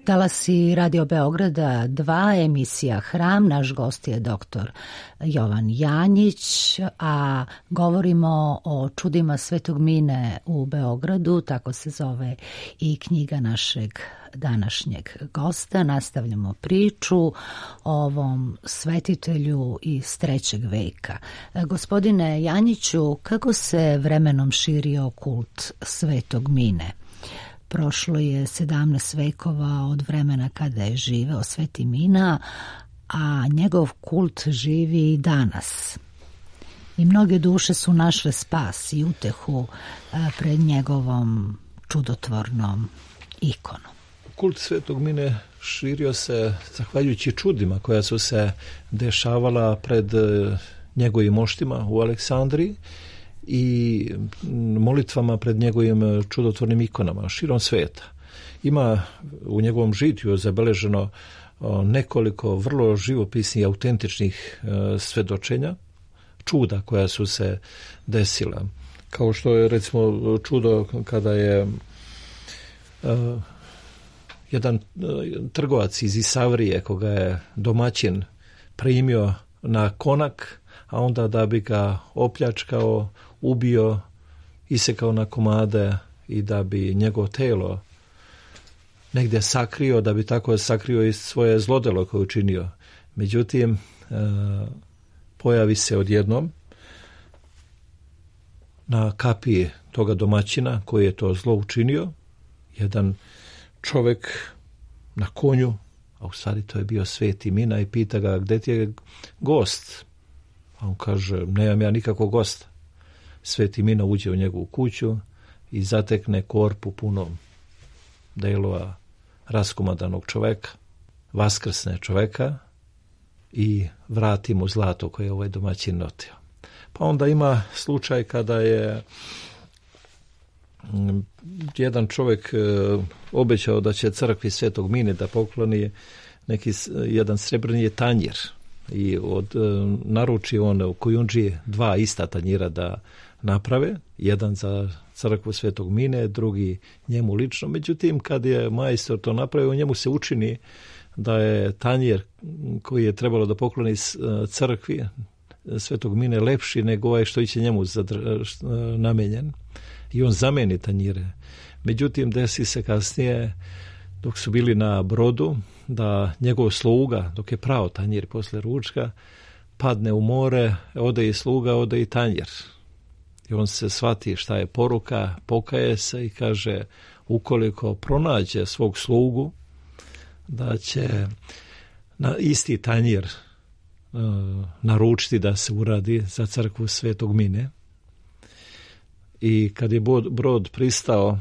Speaker 1: Talasi Radio Beograda dva, emisija Hram, naš gost je doktor Jovan Janjić, a govorimo o čudima Svetog Mine u Beogradu, tako se zove i knjiga našeg današnjeg gosta. Nastavljamo priču o ovom svetitelju iz trećeg veka. Gospodine Janjiću, kako se vremenom širio kult Svetog Mine? Prošlo je sedamnaest vekova od vremena kada je živeo Sveti Mina, a njegov kult živi i danas. I mnoge duše su našle spas i utehu pred njegovom čudotvornom ikonom.
Speaker 4: Kult Svetog Mine širio se zahvaljujući čudima koja su se dešavala pred njegovim moštima u Aleksandriji i molitvama pred njegovim čudotvornim ikonama širom sveta. Ima u njegovom žitiju zabeleženo nekoliko vrlo živopisnih i autentičnih svedočenja, čuda koja su se desila. Kao što je recimo čudo kada je uh, jedan uh, trgovac iz Isavrije, koga je domaćin primio na konak, a onda da bi ga opljačkao, ubio, isekao na komade i da bi njegovo telo negdje sakrio, da bi tako sakrio i svoje zlodelo koje je učinio. Međutim, uh, pojavi se odjednom na kapiji toga domaćina koji je to zlo učinio jedan čovjek na konju, a u stvari to je bio Sveti Mina, i pita ga gdje ti je gost. A on kaže, nemam ja nikakvog gosta. Sveti Mina uđe u njegovu kuću i zatekne korpu puno delova raskomadanog čoveka, vaskrsne čoveka i vrati mu zlato koje je ovaj domaćin notio. Pa onda ima slučaj kada je jedan čovjek obećao da će crkvi Svetog Mine da pokloni neki jedan srebrni tanjir i od naruči on u Kujundži dva ista tanjira da naprave, jedan za crkvu Svetog Mine, drugi njemu lično. Međutim, kad je majstor to napravio, njemu se učini da je tanjir koji je trebalo da pokloni crkvi Svetog Mine lepši nego ovaj što će njemu zadr- namenjen. I on zameni tanjire. Međutim, desi se kasnije, dok su bili na brodu, da njegov sluga, dok je prao tanjir posle ručka, padne u more, ode i sluga, ode i tanjir. I on se shvati šta je poruka, pokaje se i kaže, ukoliko pronađe svog slugu, da će na isti tanjir uh, naručiti da se uradi za crkvu Svetog Mine. I kad je brod pristao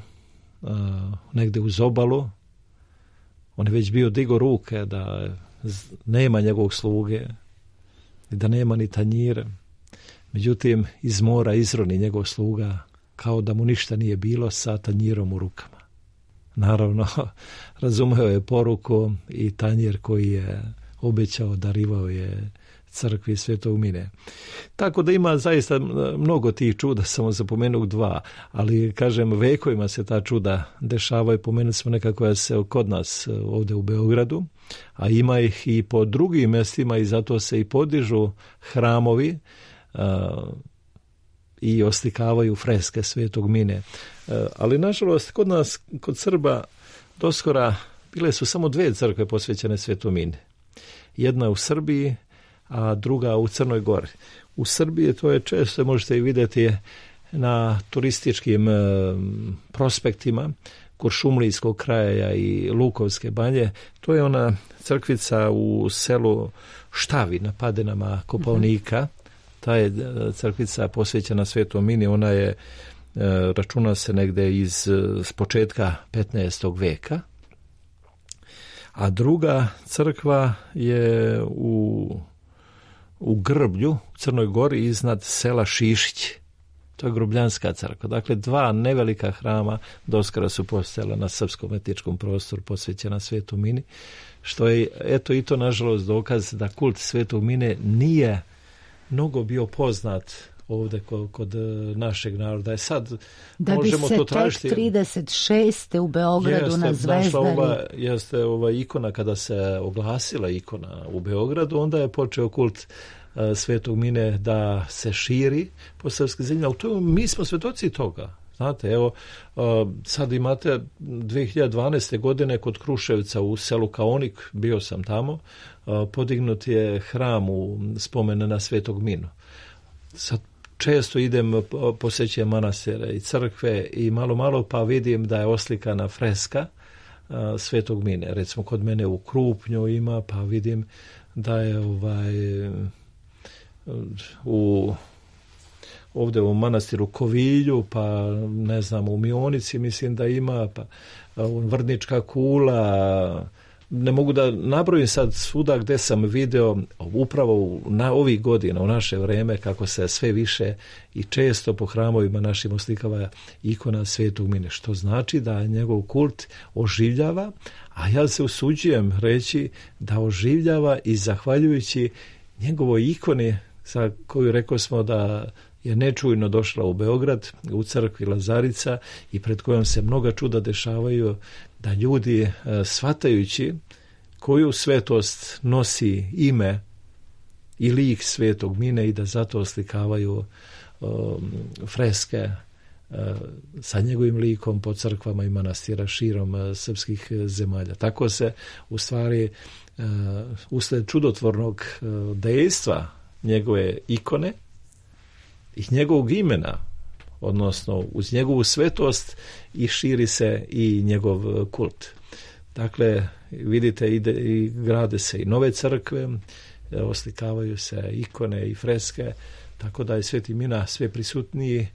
Speaker 4: uh, negde uz obalu, on je već bio digo ruke da nema njegovog sluge i da nema ni tanjira. Međutim, iz mora izroni njegov sluga kao da mu ništa nije bilo sa tanjirom u rukama. Naravno, razumeo je poruku i tanjir koji je obećao, darivao je crkvi Svetog Mine. Tako da ima zaista mnogo tih čuda, samo zapomenuo dva, ali kažem, vekovima se ta čuda dešavaju, pomenuli smo neka koja se kod nas ovdje u Beogradu, a ima ih i po drugim mjestima i zato se i podižu hramovi a, i oslikavaju freske Svetog Mine. A, ali nažalost, kod nas, kod Srba, doskora bile su samo dve crkve posvećene Svetom Mine. Jedna u Srbiji, a druga u Crnoj Gori. U Srbiji to je često, možete i vidjeti na turističkim e, prospektima Kuršumlijskog kraja i Lukovske banje. To je ona crkvica u selu Štavi na Padinama Kopaonika. Ta je crkvica posvećena Svetom Mini. Ona je, e, računa se negde iz s početka petnaestog veka. A druga crkva je u u Grblju, u Crnoj Gori, iznad sela Šišić. To je Grubljanska crkva. Dakle, dva nevelika hrama doskora su postojala na srpskom etničkom prostoru posvećena Svetom Mini, što je, eto, i to nažalost dokaz da kult Svetog Mine nije mnogo bio poznat ovdje kod, kod našeg naroda. Je sad
Speaker 1: da
Speaker 4: možemo
Speaker 1: bi se
Speaker 4: to tražiti.
Speaker 1: tek trideset šeste u Beogradu
Speaker 4: jeste,
Speaker 1: na Zvezdari.
Speaker 4: Ova, jeste ova ikona, kada se oglasila ikona u Beogradu, onda je počeo kult uh, Svetog Mine da se širi po srpskoj zemlji. Ali to, mi smo svjedoci toga. Znate, evo, uh, sad imate dve hiljade dvanaeste. godine kod Kruševca u selu Kaonik, bio sam tamo, uh, podignut je hram u spomene na Svetog Minu. Sad često idem, posjećujem manastire i crkve i malo malo pa vidim da je oslikana freska uh, Svetog Mine. Recimo kod mene u Krupnju ima, pa vidim da je ovaj u ovdje u manastiru Kovilju, pa ne znam, u Mionici mislim da ima, pa Vrnička kula. Ne mogu da nabrojim sad svuda gdje sam video upravo na ovih godina, u naše vreme, kako se sve više i često po hramovima našim oslikava ikona Svetog Mine, što znači da njegov kult oživljava, a ja se usuđujem reći da oživljava i zahvaljujući njegovoj ikoni za koju rekao smo da je nečujno došla u Beograd, u crkvi Lazarica, i pred kojom se mnoga čuda dešavaju, da ljudi, e, shvatajući koju svetost nosi ime i lik Svetog Mine, i da zato oslikavaju e, freske e, sa njegovim likom po crkvama i manastira širom e, srpskih zemalja. Tako se u stvari e, usled čudotvornog e, dejstva njegove ikone i njegovog imena, odnosno uz njegovu svetost, i širi se i njegov kult. Dakle, vidite, ide, i grade se i nove crkve, oslikavaju se ikone i freske, tako da je Sveti Mina sve prisutniji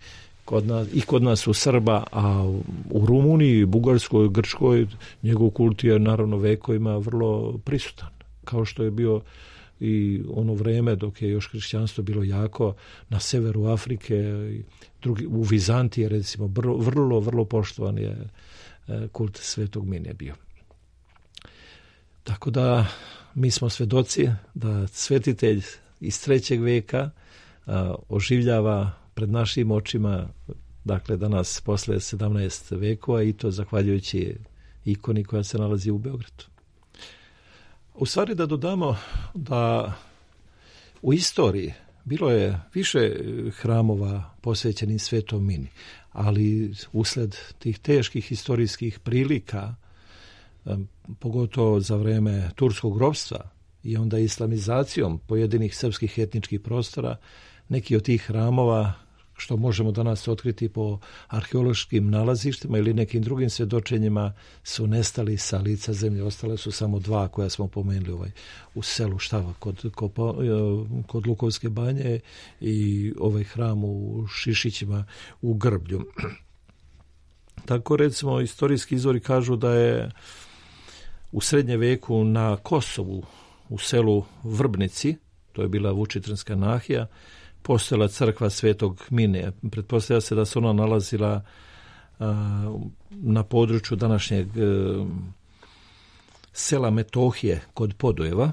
Speaker 4: kod nas, i kod nas u Srba, a u Rumuniji, Bugarskoj, Grčkoj, njegov kult je naravno vekovima vrlo prisutan, kao što je bio i ono vreme dok je još hrišćanstvo bilo jako na severu Afrike, i drugi, u Vizantiji recimo, vrlo, vrlo, vrlo poštovan je kult Svetog Mine bio. Tako da mi smo svedoci da svetitelj iz trećeg veka a, oživljava pred našim očima, dakle danas posle sedamnaest vekova, i to zahvaljujući ikoni koja se nalazi u Beogradu. U stvari da dodamo da u istoriji bilo je više hramova posvećenih Svetom Mini, ali usled tih teških historijskih prilika, pogotovo za vreme turskog ropstva i onda islamizacijom pojedinih srpskih etničkih prostora, neki od tih hramova, što možemo danas otkriti po arheološkim nalazištima ili nekim drugim svjedočenjima, su nestali sa lica zemlje. Ostale su samo dva koja smo pomenuli ovaj, u selu Štava kod, kod, kod Lukovske banje i ovaj hram u Šišićima u Grblju. Tako recimo istorijski izvori kažu da je u srednje veku na Kosovu u selu Vrbnici, to je bila Vučitranska nahija, postojala crkva Svetog Mine. Pretpostavlja se da se ona nalazila a, na području današnjeg a, sela Metohije kod Podujeva.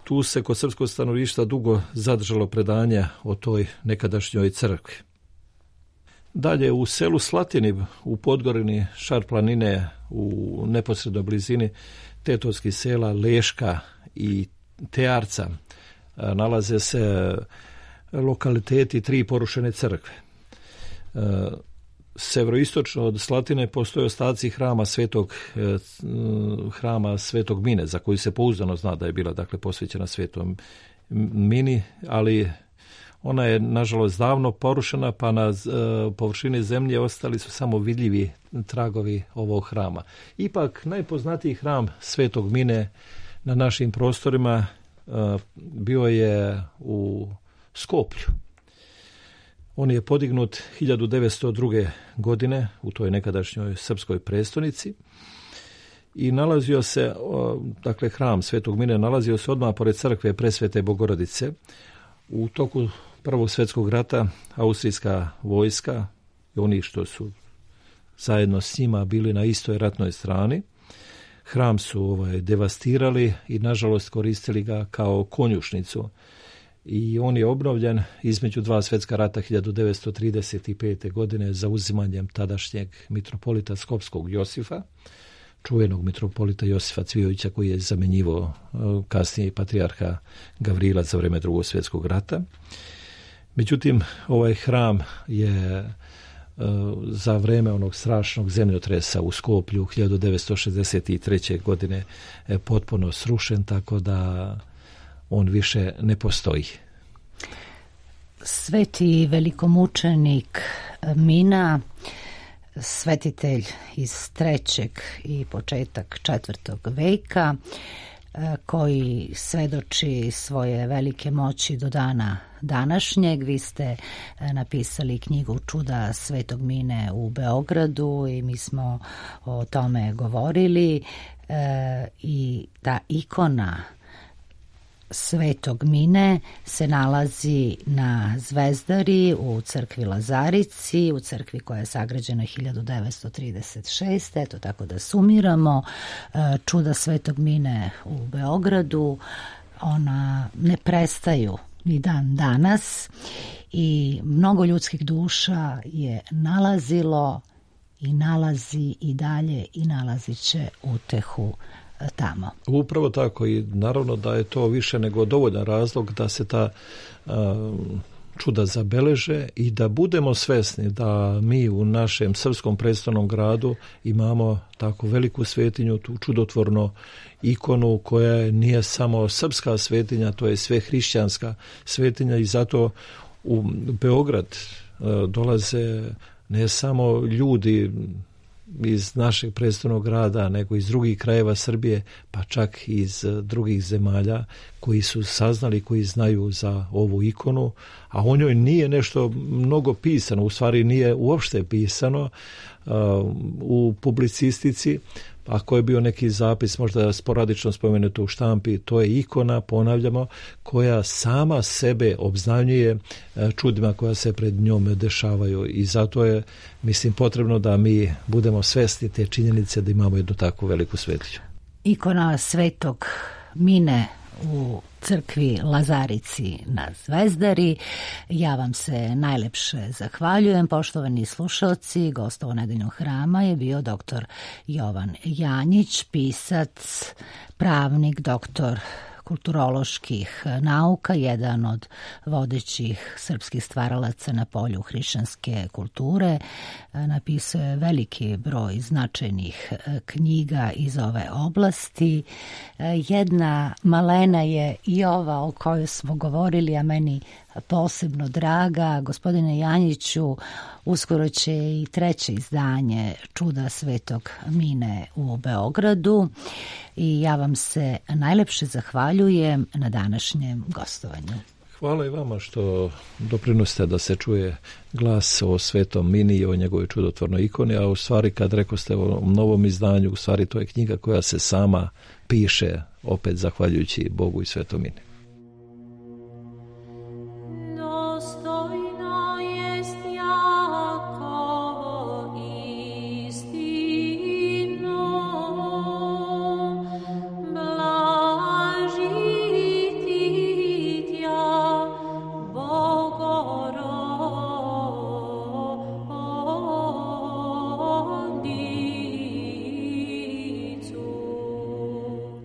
Speaker 4: Tu se kod srpskog stanovništva dugo zadržalo predanja o toj nekadašnjoj crkvi. Dalje u selu Slatini u Podgorini Šar planine u neposrednoj blizini tetovskih sela Leška i Tearca nalaze se lokaliteti tri porušene crkve. Severoistočno od Slatine postoje ostaci hrama Svetog hrama Svetog Mine, za koju se pouzdano zna da je bila dakle posvećena Svetom Mini, ali ona je nažalost davno porušena, pa na površini zemlje ostali su samo vidljivi tragovi ovog hrama. Ipak najpoznatiji hram Svetog Mine na našim prostorima bio je u Skoplju. On je podignut hiljadu devetsto druge. godine u toj nekadašnjoj srpskoj prestonici i nalazio se, dakle hram Svetog Mine nalazio se odmah pored crkve Presvete Bogorodice. U toku Prvog svjetskog rata austrijska vojska i oni što su zajedno s njima bili na istoj ratnoj strani, hram su ovaj, devastirali i nažalost koristili ga kao konjušnicu. I on je obnovljen između dva svjetska rata hiljadu devetsto trideset pete. godine zauzimanjem tadašnjeg mitropolita Skopskog Josifa, čuvenog mitropolita Josifa Cvijovića koji je zamjenjivao kasnije patrijarha Gavrila za vrijeme Drugog svjetskog rata. Međutim, ovaj hram je za vrijeme onog strašnog zemljotresa u Skoplju hiljadu devetsto šezdeset treće. godine potpuno srušen, tako da on više ne postoji.
Speaker 1: Sveti velikomučenik Mina, svetitelj iz trećeg i početak četvrtog veka, koji svedoči svoje velike moći do dana današnjeg. Vi ste napisali knjigu Čuda Svetog Mine u Beogradu i mi smo o tome govorili, i ta ikona Svetog Mine se nalazi na Zvezdari u crkvi Lazarici, u crkvi koja je sagrađena hiljadu devetsto trideset šeste. Eto, tako da sumiramo, čuda Svetog Mine u Beogradu, ona ne prestaju ni dan danas i mnogo ljudskih duša je nalazilo i nalazi i dalje i nalazit će utehu tamo.
Speaker 4: Upravo tako, i naravno da je to više nego dovoljan razlog da se ta uh, čuda zabeleže i da budemo svesni da mi u našem srpskom prestolnom gradu imamo tako veliku svetinju, tu čudotvornu ikonu koja nije samo srpska svetinja, to je sve hrišćanska svetinja, i zato u Beograd uh, dolaze ne samo ljudi iz našeg prestolnog grada, nego iz drugih krajeva Srbije, pa čak i iz drugih zemalja koji su saznali, koji znaju za ovu ikonu, a o njoj nije nešto mnogo pisano, u stvari nije uopšte pisano uh, u publicistici. Ako je bio neki zapis, možda sporadično spomenuto u štampi, to je ikona, ponavljamo, koja sama sebe obznanjuje čudima koja se pred njom dešavaju, i zato je, mislim, potrebno da mi budemo svesni te činjenice da imamo jednu takvu veliku svetinju.
Speaker 1: Ikona Svetog Mine u crkvi Lazarici na Zvezdari. Ja vam se najlepše zahvaljujem, poštovani slušalci. Gost ovo nedeljnog hrama je bio doktor Jovan Janjić, pisac, pravnik, doktor kulturoloških nauka, jedan od vodećih srpskih stvaralaca na polju hrišćanske kulture. Napisao je veliki broj značajnih knjiga iz ove oblasti. Jedna malena je i ova o kojoj smo govorili, a meni posebno draga. Gospodine Janjiću, uskoro će i treće izdanje Čuda Svetog Mine u Beogradu i ja vam se najlepše zahvaljujem na današnjem gostovanju.
Speaker 4: Hvala i vama što doprinosite da se čuje glas o Svetom Mini i o njegovoj čudotvornoj ikoni, a u stvari kad rekoste o novom izdanju, u stvari to je knjiga koja se sama piše, opet zahvaljujući Bogu i Svetom Mini.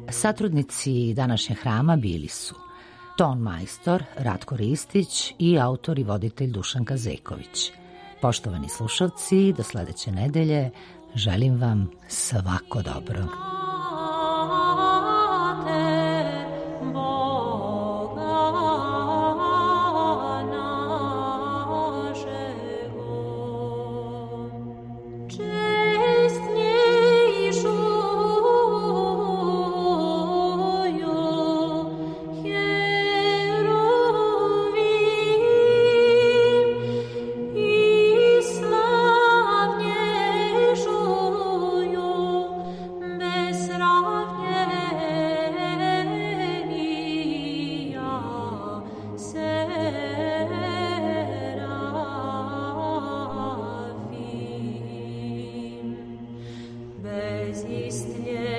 Speaker 1: Satrudnici današnjeg hrama bili su ton majstor Ratko Ristić i autor i voditelj Dušanka Zeković. Poštovani slušalci, do sledeće nedelje želim vam svako dobro.
Speaker 5: Bez istnie